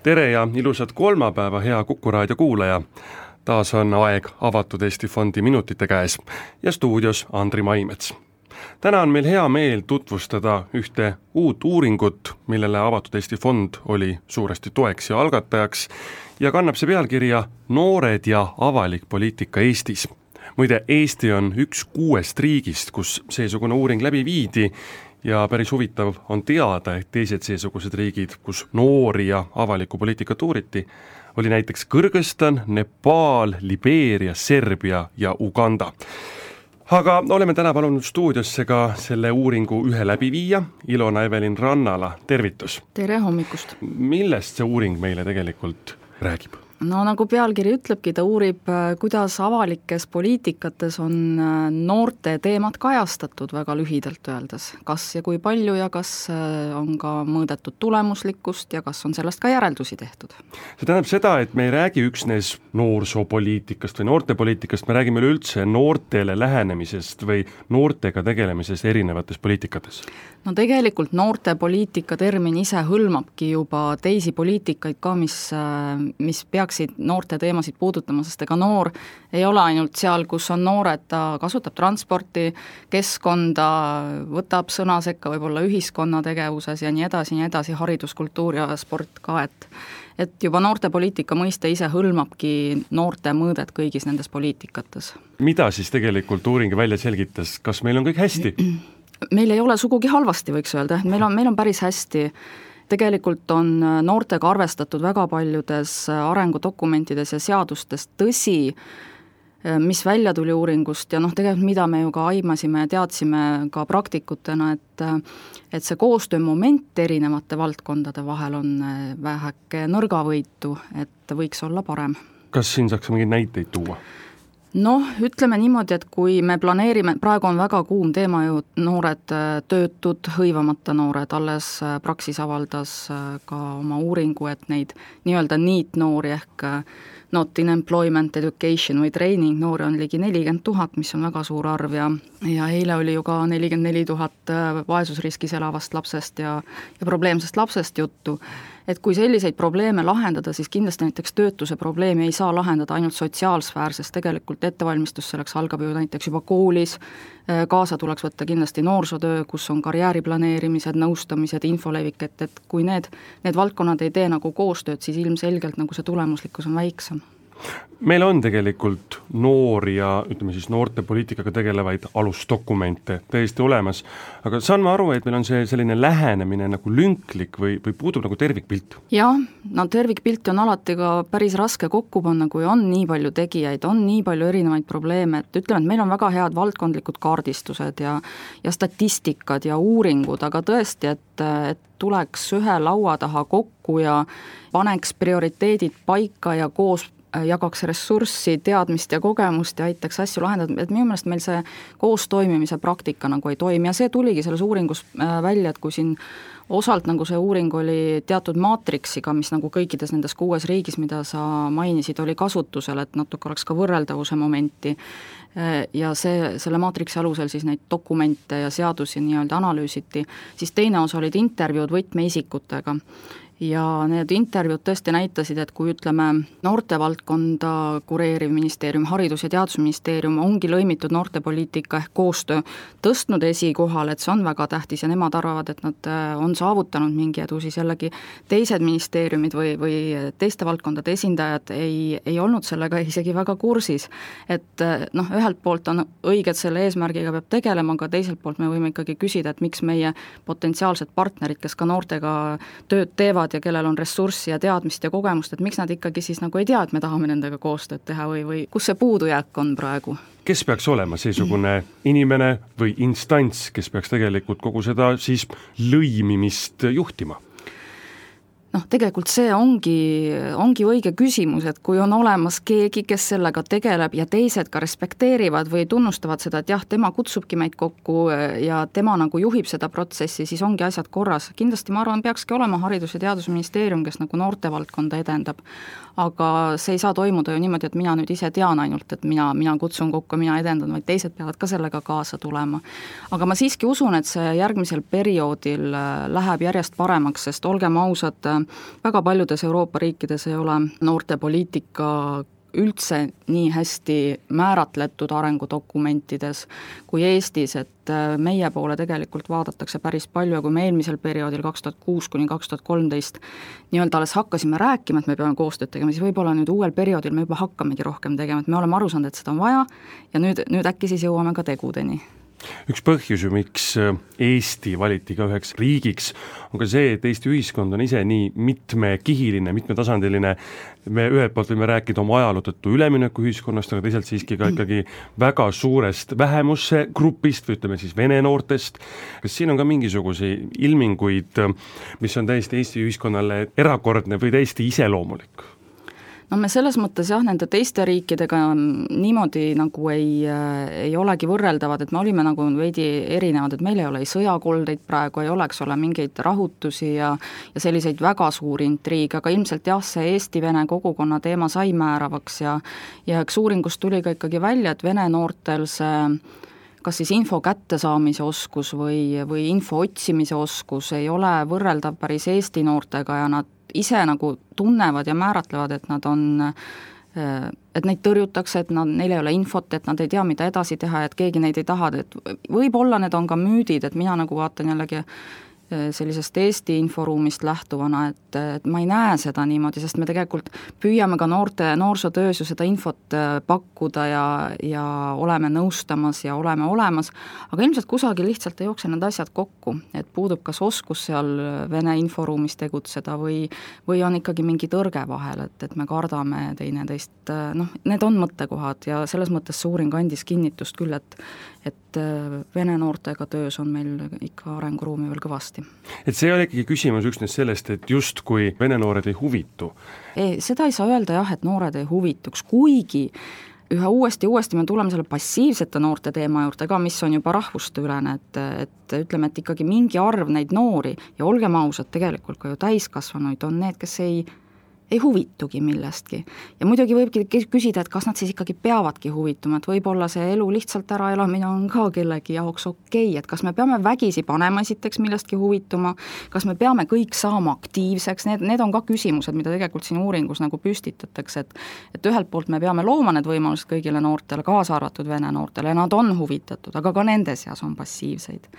Tere ja ilusat kolmapäeva, hea Kuku raadio kuulaja. Taas on aeg Avatud Eesti Fondi minutite käes ja stuudios Andri Maimets. Täna on meil hea meel tutvustada ühte uut uuringut, millele Avatud Eesti Fond oli suuresti toeks ja algatajaks ja kannab see pealkirja Noored ja avalik poliitika Eestis. Muide, Eesti on üks 6 riigist, kus seesugune uuring läbi viidi ja päris huvitav on teada, et teised seesugused riigid, kus noori ja avalikku poliitikat uuriti, oli näiteks Kõrgõzstan, Nepaal, Libeeria, Serbia ja Uganda. Aga oleme täna palunud stuudiosse ka selle uuringu ühe läbiviija, Ilona Evelin Rannala, tervitus! Tere hommikust! Millest see uuring meile tegelikult räägib? No nagu pealkiri ütlebki, ta uurib, kuidas avalikes poliitikates on noorte teemad kajastatud väga lühidalt öeldes. Kas ja kui palju ja kas on ka mõõdetud tulemuslikkust ja kas on sellest ka järeldusi tehtud? See tähendab seda, et me ei räägi üksnes noorsoopoliitikast või noortepoliitikast, me räägime üldse noortele lähenemisest või noortega tegelemisest erinevates poliitikates. No tegelikult noortepoliitika termin ise hõlmabki juba teisi poliitikaid ka, mis peaksid noorte teemasid puudutama, sest ega noor ei ole ainult seal, kus on noored, ta kasutab transporti, keskkonda, võtab sõna sekka võib-olla ühiskonna tegevuses ja nii edasi, haridus, kultuur ja sport ka, et juba noortepoliitika mõiste ise hõlmabki noorte mõõdet kõigis nendes poliitikates. Mida siis tegelikult uuring välja selgitas, kas meil on kõik hästi? Meil ei ole sugugi halvasti, võiks öelda, et meil on päris hästi. Tegelikult on noortega arvestatud väga paljudes arengudokumentides ja seadustes, tõsi, mis välja tuli uuringust ja tegelikult mida me ju ka aimasime ja teadsime ka praktikutena, et see koostöömoment erinevate valdkondade vahel on väheke nõrgavõitu, et võiks olla parem. Kas siin saaks mingeid näiteid tuua? Noh, ütleme niimoodi, et kui me planeerime, praegu on väga kuum teema ju noored töötud, hõivamata noored, alles Praxis avaldas ka oma uuringu, et neid nii-öelda NEET-noori ehk Not in Employment, Education või Training noori on ligi 40 000, mis on väga suur arv ja eile oli ju ka 44 000 vaesusriskis elavast lapsest ja probleemsest lapsest juttu. Et kui selliseid probleeme lahendada, siis kindlasti näiteks töötuse probleemi ei saa lahendada ainult sotsiaalsfäär, sest tegelikult ettevalmistus selleks algab ju näiteks juba koolis, kaasa tuleks võtta kindlasti noorsootöö, kus on karjääriplaneerimised, nõustamised, infolevik, et kui need valdkonnad ei tee nagu koostööd, siis ilmselgelt nagu see tulemuslikkus on väiksem. Meil on tegelikult noori ja ütleme siis noortepoliitikaga tegelevaid alusdokumente täiesti olemas, aga saan ma aru, et meil on see selline lähenemine nagu lünklik või puudub nagu tervikpilt? Jah, no tervikpilti on alati ka päris raske kokku panna, kui on nii palju tegijaid, on nii palju erinevaid probleeme, et ütleme, et meil on väga head valdkondlikud kaardistused ja statistikad ja uuringud, aga tõesti, et tuleks ühe laua taha kokku ja paneks prioriteedid paika ja koos jagaks ressurssi, teadmist ja kogemust ja aitaks asju lahendada, et minu meelest meil see koos toimimise praktika nagu ei toimi ja see tuligi selles uuringus välja, et kui siin osalt nagu see uuring oli teatud maatriksiga, mis nagu kõikides nendes 6 riigis, mida sa mainisid, oli kasutusel, et natuke oleks ka võrreldavuse momenti ja selle maatriksi alusel siis neid dokumente ja seadusi nii-öelda analüüsiti, siis teine osa olid intervjuud võtmeisikutega. Ja need intervjuud tõesti näitasid, et kui ütleme noortevaldkonda kureeriv ministeerium, Haridus- ja Teadusministeerium ongi lõimitud noortepoliitika ehk koostöö tõstnud esikohal, et see on väga tähtis ja nemad arvavad, et nad on saavutanud mingi edu, siis jällegi teised ministeeriumid või teiste valdkondade esindajad ei olnud sellega isegi väga kursis. Et ühelt poolt on õige, et selle eesmärgiga peab tegelema, aga teiselt poolt me võime ikkagi küsida, et miks meie potentsiaalsed partnerid, kes ka noortega tööd teevad, ja kellel on ressurssi ja teadmist ja kogemust, et miks nad ikkagi siis nagu ei tea, et me tahame nendega koostööd teha või kus see puudujääk on praegu? Kes peaks olema seesugune inimene või instants, kes peaks tegelikult kogu seda siis lõimimist juhtima? Tegelikult see ongi õige küsimus, et kui on olemas keegi, kes sellega tegeleb ja teised ka respekteerivad või tunnustavad seda, et jah, tema kutsubki meid kokku ja tema nagu juhib seda protsessi, siis ongi asjad korras. Kindlasti ma arvan, peakski olema Haridus- ja Teadusministeerium, kes nagu noortevaldkonda edendab. Aga see ei saa toimuda ju niimoodi, et mina nüüd ise tean ainult, et mina kutsun kokku, mina edendan, vaid teised peavad ka sellega kaasa tulema. Aga ma siiski usun, et see järgmisel perioodil läheb järjest paremaks, sest olgem ausad, väga paljudes Euroopa riikides ei ole noortepoliitika üldse nii hästi määratletud arengudokumentides kui Eestis, et meie poole tegelikult vaadatakse päris palju ja kui me eelmisel perioodil 2006–2013 nii-öelda alles hakkasime rääkima, et me peame koostööd tegema, siis võib-olla nüüd uuel perioodil me juba hakkamegi rohkem tegema, et me oleme aru saanud, et seda on vaja ja nüüd äkki siis jõuame ka tegudeni. Üks põhjus ju, miks Eesti valiti ka üheks riigiks, on ka see, et Eesti ühiskond on ise nii mitmekihiline, mitmetasandiline. Me ühelt poolt võime rääkida oma ajaloo tõttu ülemineku ühiskonnast, aga teisalt siiski ka ikkagi väga suurest vähemusse grupist või ütleme siis vene noortest. Kas siin on ka mingisuguseid ilminguid, mis on täiesti Eesti ühiskonnale erakordne või täiesti iseloomulik? No me selles mõttes jah, nende teiste riikidega niimoodi nagu ei olegi võrreldavad, et me olime nagu veidi erinevad, et meil ei ole ei sõjakoldeid praegu, ei oleks ole mingeid rahutusi ja selliseid väga suuri intriige, aga ilmselt jah, see Eesti-Vene kogukonna teema sai määravaks ja eks uuringust tuli ka ikkagi välja, et vene noortel see kas siis info kättesaamise oskus või info otsimise oskus ei ole võrreldav päris Eesti noortega ja nad ise nagu tunnevad ja määratlevad, et nad on, et neid tõrjutakse, et neil ei ole infot, et nad ei tea, mida edasi teha, et keegi neid ei taha, et võib-olla need on ka müüdid, et mina nagu vaatan jällegi sellisest Eesti inforuumist lähtuvana, et ma ei näe seda niimoodi, sest me tegelikult püüame ka noorsootöös ju seda infot pakkuda ja oleme nõustamas ja oleme olemas, aga ilmselt kusagil lihtsalt ei jookse need asjad kokku, et puudub kas oskus seal Vene inforuumis tegutseda või on ikkagi mingi tõrge vahel, et me kardame teineteist, need on mõttekohad ja selles mõttes see uuring andis kinnitust küll, et vene noortega töös on meil ikka arenguruumi veel kõvasti. Et see ei ole ikkagi küsimus üksnes sellest, et just kui vene noored ei huvitu? Seda ei saa öelda jah, et noored ei huvituks, kuigi üha uuesti me tuleme selle passiivsete noorte teema juurde ka, mis on juba rahvusteülene, et ütleme, et ikkagi mingi arv neid noori ja olgem ausad, tegelikult ka ju täiskasvanuid on need, kes ei huvitugi millestki. Ja muidugi võibki küsida, et kas nad siis ikkagi peavadki huvituma, et võib-olla see elu lihtsalt äraelamine on ka kellegi jaoks okei, et kas me peame vägisi panema esiteks millestki huvituma, kas me peame kõik saama aktiivseks, need on ka küsimused, mida tegelikult siin uuringus nagu püstitatakse, et ühelt poolt me peame looma need võimalused kõigile noortele, kaasa arvatud vene noortele, nad on huvitatud, aga ka nende seas on passiivseid.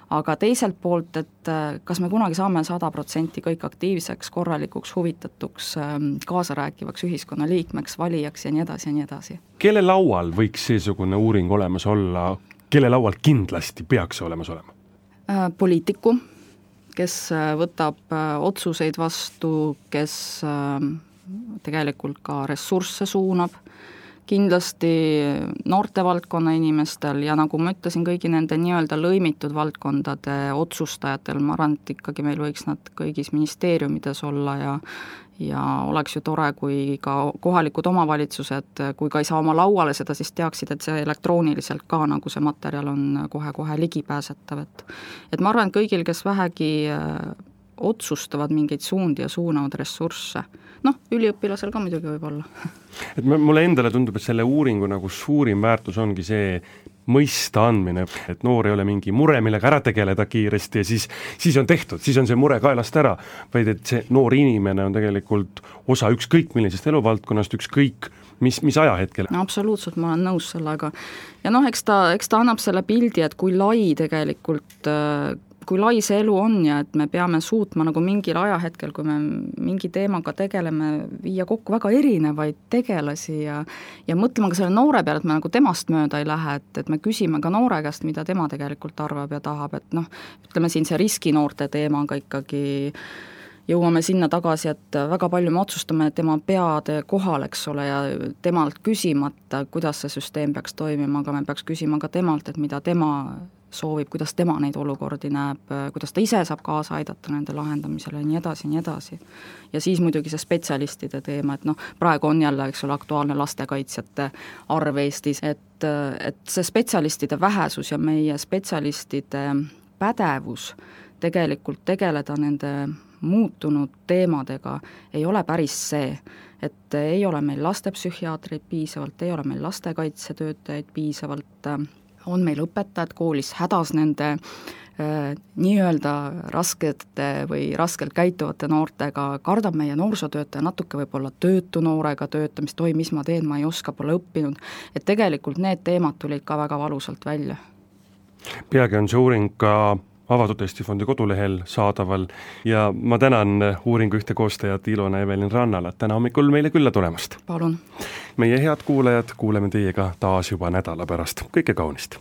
Aga teiselt poolt, et kas me kunagi saame 100% kõik aktiivseks, korralikuks, huvitatuks, kaasarääkivaks ühiskonnaliikmeks, valijaks ja nii edasi ja nii edasi. Kelle laual võiks seesugune uuring olemas olla, kelle laual kindlasti peaks olemas olema? Poliitiku, kes võtab otsuseid vastu, kes tegelikult ka ressursse suunab, kindlasti noortevaldkonna inimestel ja nagu ma ütlesin, kõigi nende nii-öelda lõimitud valdkondade otsustajatel, ma arvan, et ikkagi meil võiks nad kõigis ministeeriumides olla ja oleks ju tore, kui ka kohalikud omavalitsused, kui ka ei saa oma lauale seda, siis teaksid, et see elektrooniliselt ka nagu see materjal on kohe-kohe ligipääsetav, et ma arvan, et kõigil, kes vähegi otsustavad mingeid suundi ja suunavad ressursse, üliõpilasel ka muidugi võib olla. Et mulle endale tundub, et selle uuringu nagu suurim väärtus ongi see mõista andmine, et noor ei ole mingi mure, millega ära tegeleda kiiresti ja siis on tehtud, siis on see mure kaelast ära, vaid et see noor inimene on tegelikult osa ükskõik millisest eluvaldkonnast, ükskõik mis ajahetkel. No absoluutselt, ma olen nõus sellega. Ja eks ta annab selle pildi, et kui lai tegelikult kui lai see elu on ja et me peame suutma nagu mingil ajahetkel, kui me mingi teemaga tegeleme, viia kokku väga erinevaid tegelasi ja mõtlema ka selle noore peale, et me nagu temast mööda ei lähe, et me küsime ka noore käest, mida tema tegelikult arvab ja tahab, et ütleme siin see riskinoorte teemaga ikkagi jõuame sinna tagasi, et väga palju me otsustame tema peade kohal, eks ole, ja temalt küsimata, kuidas see süsteem peaks toimima, aga me peaks küsima ka temalt, et mida tema soovib, kuidas tema neid olukordi näeb, kuidas ta ise saab kaasa aidata nende lahendamisele ja nii edasi ja nii edasi. Ja siis muidugi see spetsialistide teema, et praegu on jälle, eks ole, aktuaalne lastekaitsjate arv Eestis, et see spetsialistide vähesus ja meie spetsialistide pädevus tegelikult tegeleda nende muutunud teemadega ei ole päris see, et ei ole meil lastepsühhiaatreid piisavalt, ei ole meil lastekaitsetöötajaid piisavalt, on meil õpetajad koolis hädas nende nii-öelda raskete või raskelt käituvate noortega, kardab meie noorsootöötaja natuke võib-olla töötu noorega töötamist, oi, mis ma teen, ma ei oska, pole õppinud, et tegelikult need teemad tulid ka väga valusalt välja. Peagi on see uuring ka Avatud Eesti Fondi kodulehel saadaval ja ma tänan uuringu ühte koostajat Ilona Evelin Rannalat täna hommikul meile külla tulemast. Palun. Meie head kuulajad, kuuleme teiega taas juba nädala pärast. Kõike kaunist!